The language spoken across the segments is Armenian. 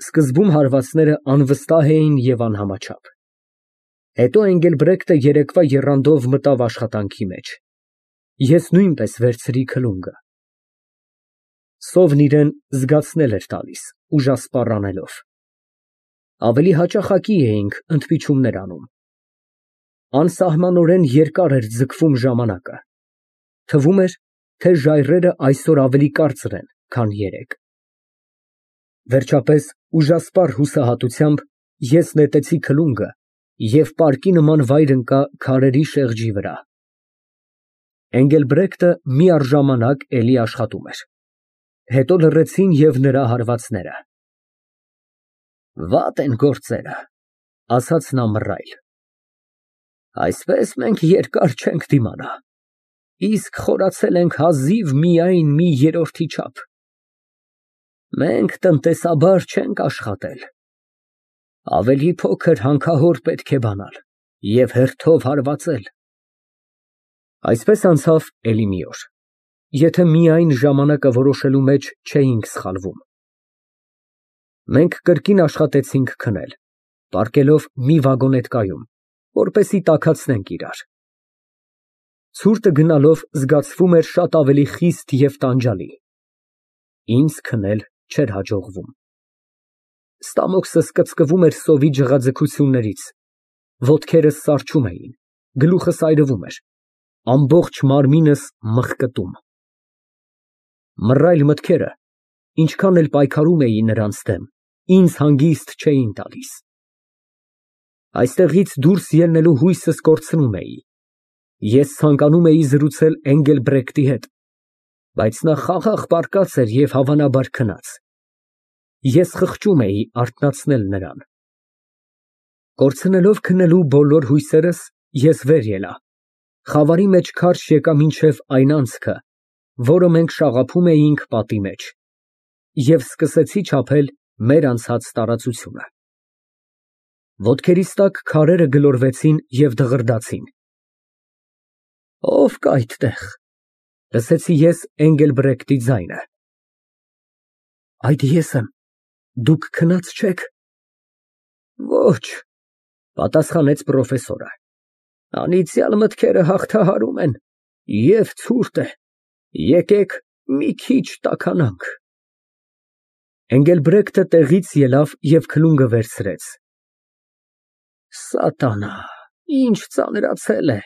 Սկզբում հարվածները անվստահ էին և անհամաչափ։ Հետո Էնգելբրեկտը երեկվա եռանդով մտավ աշխատանքի մեջ։ Ես նույնպես վերցրի քլունգը։ Սովն իրան զգացնել էր տալիս, ուժասպառ անելով։ Ավելի հաճախակի էինք ընդմիջումներ անում։ Անսահմանորեն երկար էր ձգվում ժամանակը։ Թվում էր, թե ժայռերը այսօր ավելի կարճ են, քան երեկ։ Վերջապես, ուժասպառ հուսահատությամբ ես նետեցի քլունգը և պարկի նման վայր ընկա քարերի շեղջի վրա։ Էնգելբրեկտը միառժամանակ էլի աշխատում էր։ Հետո լռեցին և նրա հարվածները։ Վատ են գործերը, ասաց նա մռայլ։ Այսպես մենք երկար չենք դիմանա, իսկ խորացել ենք հազիվ միայն մի երրորդի չափ։ Մենք տնտեսաբար չենք աշխատել, ավելի փոքր հանքահոր պետք է բանալ և հերթով հարվածել։ Այսպես անցավ էլի մի օր, եթե միայն ժամանակը որոշելու մեջ չէինք սխալվում։ Մենք կրկին աշխատեցինք քնել, պառկելով մի վագոնետկայում, որպեսզի տաքացնենք իրար։ Ցուրտը գնալով զգացվում էր շատ ավելի խիստ և տանջալի։ Ինձ քնել չէր հաջողվում։ Ստամոքսս կծկվում էր սովի ջղաձգություններից, ոտքերս սառչում էին, գլուխս այրվում էր, ամբողջ մարմինս մղկտում։ Մռայլ մտքերը, ինչքան էլ պայքարում էի նրանց դեմ, ինձ հանգիստ չէին տալիս։ Այստեղից դուրս ելնելու հույսս կորցնում էի։ Ես ցանկանում էի զրուցել Էնգելբրեկտի հետ, բայց նա խաղաղ պառկած էր և հավանաբար քնած։ Ես խղճում էի արթնացնել նրան։ Կորցնելով քնելու բոլոր հույսերս, ես վեր ելա, խավարի մեջ քարշ եկա մինչև այն անցքը, որը մենք շաղափում էինք պատի մեջ, և սկսեցի չափել մեր անցած տարածությունը։ Ոտքերիս տակ քարերը գլորվեցին և դղրդացին։ Ո՞վ կա այդտեղ, լսեցի ես Էնգելբրեկտի ձայնը։ Այդ ես եմ, դուք քնած չե՞ք։ Ոչ, պատասխանեց պրոֆեսորը, անիծյալ մտքերը հաղթահարում են և ցուրտ է, եկեք մի քիչ տաքանանք։ Էնգելբրեկտը տեղից ելավ և քլունգը վերցրեց։ Սատանա, ինչ ծանրացել է,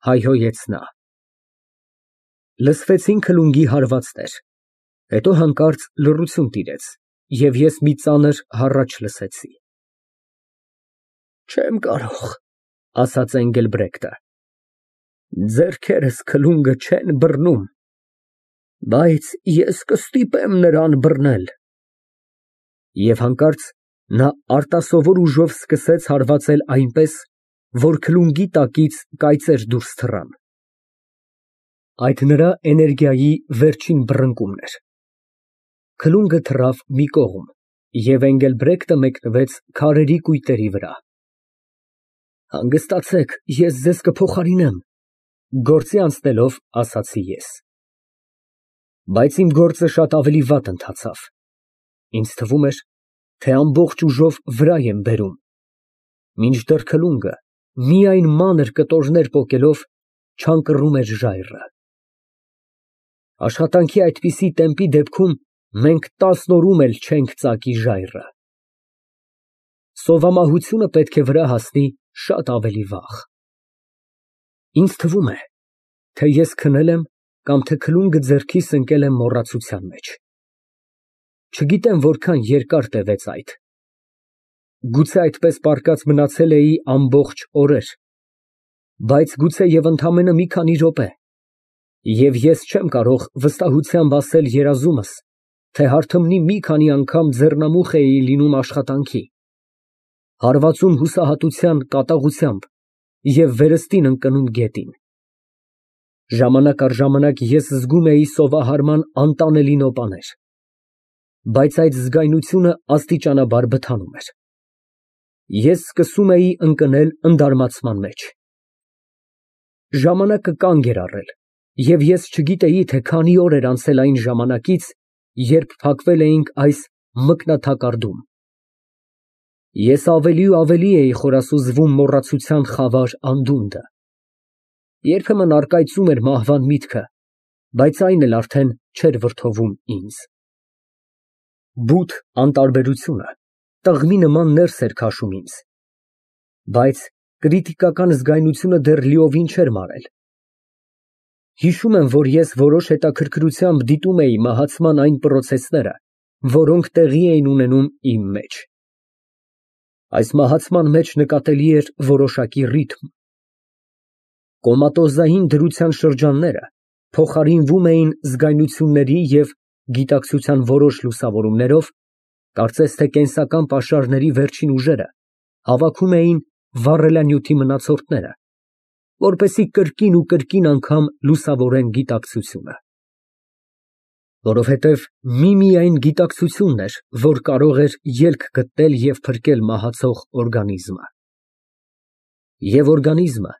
հայհոյեց նա։ Լսվեցին քլունգի հարվածներ, հետո հանկարծ լռություն տիրեց, և ես մի ծանր հառաչ լսեցի։ Չեմ կարող, ասաց Էնգելբրեկտը, ձեռքերս քլունգը չեն բռնում, բայց ես կստիպեմ նրան բռնել։ Եվ հանկարծ նա արտասովոր ուժով սկսեց հարվածել այնպես, որ քլունգի տակից կայծեր դուրս թռան։ Այդ նրա էներգիայի վերջին բռնկումն էր։ Քլունգը թռավ մի կողմ, և Էնգելբրեկտը մեկնվեց քարերի կույտերի վրա։ Հանգստացեք, ես ձեզ կփոխարինեմ, գործի անցնելով ասացի ես։ Բայց իմ գործը շատ ավելի վատ ընթացավ։ Ինձ թվում էր, թե ամբողջ ուժով վրա եմ բերում, մինչդեռ քլունգը, միայն մանր կտորներ պոկելով, չանկռում էր ժայռը։ Աշխատանքի այդպիսի տեմպի դեպքում մենք 10 օրում էլ չենք ծակի ժայռը։ Սովամահությունը պետք է վրա հասնի շատ ավելի վաղ։ Ինձ թվում է, թե ես քնել եմ կամ թե քլունգը ձեռքիս ընկել է մոռացության մեջ։ Չգիտեմ որքան երկար տևեց այդ։ Գուցե այդպես պառկած մնացել էի ամբողջ օրեր, բայց գուցեև ընդամենը մի քանի րոպե, և ես չեմ կարող վստահությամբ ասել երազումս, թե հարթմնի մի քանի անգամ ձեռնամուխ էի լինում աշխատանքի, հարվածում հուսահատության կատաղությամբ և վերստին ընկնում գետին։ Ժամանակ առ ժամանակ ես զգում էի սովահարման անտանելի նոպաներ, բայց այդ զգայունությունը աստիճանաբար բթանում էր։ Ես սկսում էի ընկնել ընդարմացման մեջ։ Ժամանակը կանգ էր առել, և ես չգիտեի, թե քանի օր էր անցել այն ժամանակից, երբ փակվել էինք այս մկնաթակարդում, Ես ավելի ու ավելի էի խորասուզվում մոռացության խավար անդունդը։ Երբեմն առկայծում էր մահվան միտքը, բայց այն էլ արդեն չէր վրդովում ինձ։ Բութ անտարբերությունը տղմի նման ներս էր քաշում ինձ, բայց կրիտիկական զգայնությունը դեռ լիովին չէր մարել։ Հիշում եմ, որ ես որոշ հետաքրքրությամբ դիտում էի մահացման այն պրոցեսները, որոնք տեղի էին ունենում իմ մեջ։ Այս մահացման մեջ նկատելի էր որոշակի ռիթմ։ Կոմատոզային դրության շրջանները փոխարինվում էին զգայնությունների և գիտակցության որոշ լուսավորումներով, կարծես թե կենսական պաշարների վերջին ուժերը հավաքում էին վառելանյութի մնացորդները, որպեսզի կրկին ու կրկին անգամ լուսավորեն գիտակցությունը։ Որովհետև միմիայն գիտակցությունն էր, որ կարող էր ելք գտնել և փրկել մահացող օրգանիզմը։ Եվ օրգանիզմը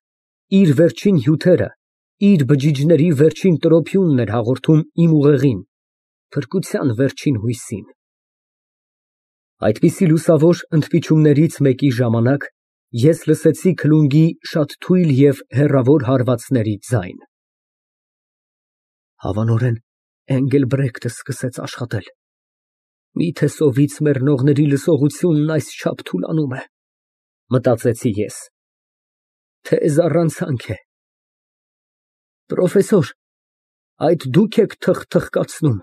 իր վերջին հյութերը, իր բջիջների վերջին տրոփյունն էր հաղորդում իմ ուղեղին, փրկության վերջին հույսին։ Այդպիսի լուսավոր ընդմիջումներից մեկի ժամանակ ես լսեցի քլունգի շատ թույլ և հեռավոր հարվածների ձայն։ Հավանորեն Էնգելբրեկտը սկսեց աշխատել։ Միթե սովից մեռնողների լսողությունն այսչափ թուլանում է, մտածեցի ես։ Թե զառանցանք է։ Պրոֆեսոր, այդ դուք եք թխթխկացնում,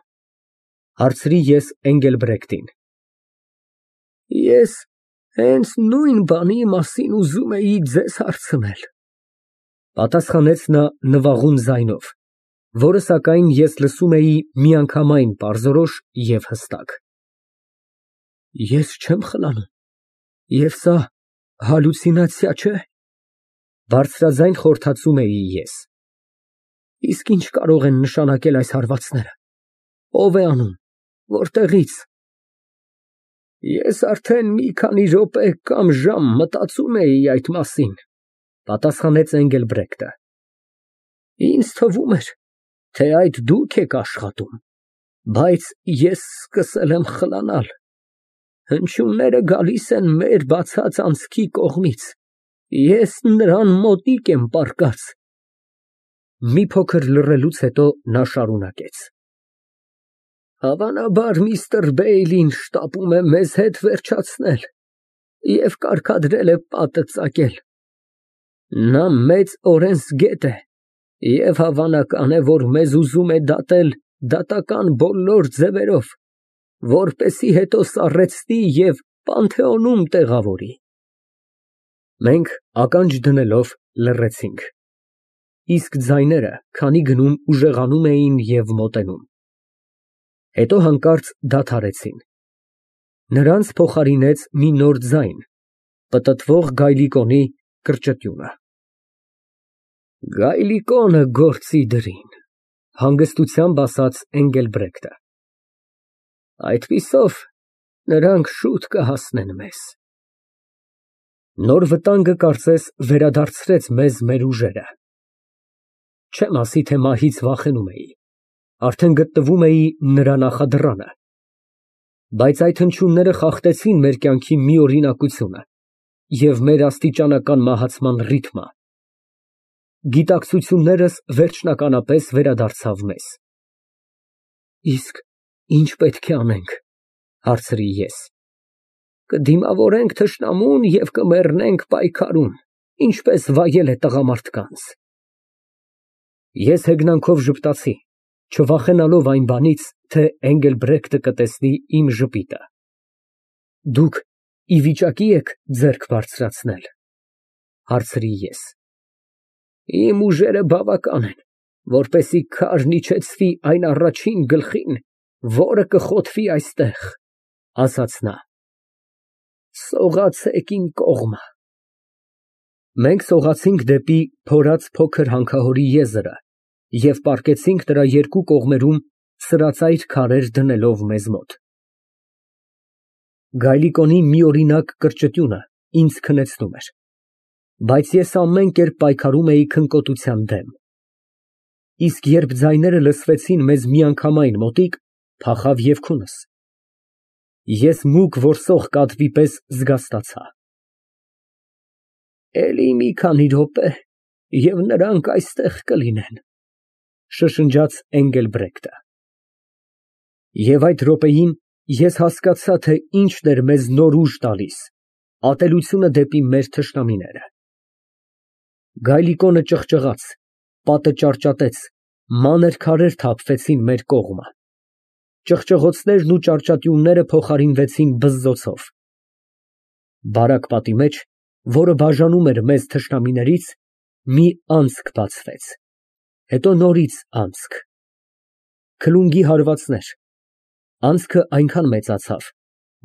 հարցրի ես Էնգելբրեկտին։ Ես հենց նույն բանի մասին ուզում էի ձեզ հարցնել, պատասխանեց նա նվաղուն ձայնով, որը սակայն ես լսում էի միանգամայն պարզորոշ և հստակ։ Ես չեմ խլանում, և սա հալյուցինացիա չէ։ Բարձրաձայն խորհրդածում էի ես։ Իսկ ինչ կարող են նշանակել այս հարվածները, ով է անում, որտեղից։ Ես արդեն մի քանի րոպե կամ ժամ մտածում էի այդ մասին, պատասխանեց Էնգելբրեկտը։ Ինձ թվում էր, թե այդ դուք եք աշխատում, բայց ես սկսել եմ խլանալ։ Հնչյունները գալիս են մեր բացած անցքի կողմից, ես նրան մոտիկ եմ պառկած։ Մի փոքր լռելուց հետո նա շարունակեց. Հավանաբար միստր Բեյլին շտապում է մեզ հետ վերջացնել և կարգադրել է պատը ծակել։ Նա մեծ օրենսգետ է և հավանական է, որ մեզ ուզում է դատել դատական բոլոր ձևերով, որպեսզի հետո սառեցնի և Պանթեոնում տեղավորի։ Մենք ականջ դնելով լռեցինք, իսկ ձայները քանի գնում ուժեղանում էին և մոտենում։ Հետո հանկարծ դադարեցին։ Նրանց փոխարինեց մի նոր ձայն, պտտվող գայլիկոնի կրճտյունը։ Գայլիկոնը գործի դրին, հանգստությամբ ասաց Էնգելբրեկտը։ Այդպիսով նրանք շուտ կհասնեն մեզ։ Նոր վտանգը կարծես վերադարձրեց մեզ մեր ուժերը։ Չեմ ասի, թե մահից վախենում էի, արդեն գտնվում էի նրա նախադռանը։ Բայց այդ հնչյունները խախտեցին մեր կյանքի միօրինակությունը և մեր աստիճանական մահացման ռիթմը։ Գիտակցություններս վերջնականապես վերադարձավ մեզ։ Իսկ ի՞նչ պետք է անենք, հարցրի ես։ Կդիմավորենք թշնամուն և կմեռնենք պայքարում, ինչպես վայել է տղամարդկանց։ Ես հեգնանքով ժպտացի, չվախենալով այն բանից, թե Էնգելբրեկտը կտեսնի իմ ժպիտը։ Դուք ի վիճակի եք ձեռք բարձրացնել, հարցրի ես։ Իմ ուժերը բավական են, որպեսզի քարն իջեցվի այն առաջին գլխին, որը կխոթվի այստեղ, ասաց նա։ Սողացեք իմ կողմը։ Մենք սողացինք դեպի փորած փոքր հանքահորի եզրը և պառկեցինք նրա երկու կողմերում սրածայր քարեր դնելով մեզ մոտ։ Գայլիկոնի միօրինակ կրճտյունը ինձ քնեցնում էր, բայց ես ամեն կերպ պայքարում էի քնկոտության դեմ։ Իսկ երբ ձայները լսվեցին մեզ միանգամայն մոտիկ, փախավ և քունս։ Ես մուգ որսող կատվի պես զգաստացա։ Էլի մի քանի րոպե, և նրանք այստեղ կլինեն, շշնջաց Էնգելբրեկտը։ Եվ այդ րոպեին ես հասկացա, թե ինչն էր մեզ նոր ուժ տալիս, ատելությունը դեպի մեր թշնամիները։ Գայլիկոնը ճղճղաց, պատը ճարճատեց, մանր քարեր թափվեցին մեր կողմը։ Ճղճղոցներն ու ճարճատյունները փոխարինվեցին բզզոցով։ Բարակ պատի մեջ, որը բաժանում էր մեզ թշնամիներից, մի անցք բացվեց, հետո նորից անցք, քլունգի հարվածներ, անցքը այնքան մեծացավ,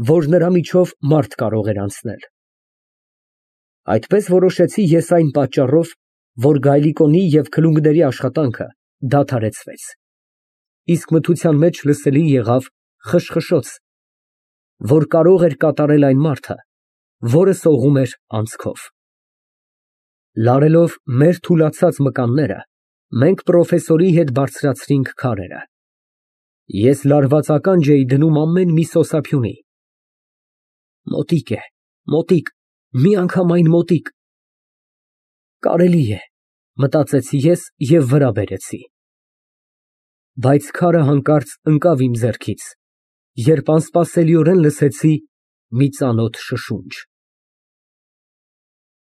որ նրա միջով մարդ կարող էր անցնել։ Այդպես որոշեցի ես այն պատճառով, որ գայլիկոնի և քլունգների աշխատանքը դադարեցվեց, իսկ մթության մեջ լսելի եղավ խշխշոց, որ կարող էր կատարել այն մարդը, որը սողում էր անցքով։ Լարելով մեր թուլացած մկանները, մենք պրոֆեսորի հետ բարձրացրինք քարերը։ Ես լարված ականջ էի դնում ամեն մի սոսափյունի։ Մոտիկ է, մոտիկ, միանգամայն մոտիկ։ Կարելի է, մտածեցի ես և վրա բերեցի։ Բայց քարը հանկարծ ընկավ իմ ձեռքից, երբ անսպասելիորեն լսեցի մի ծանոթ շշունջ։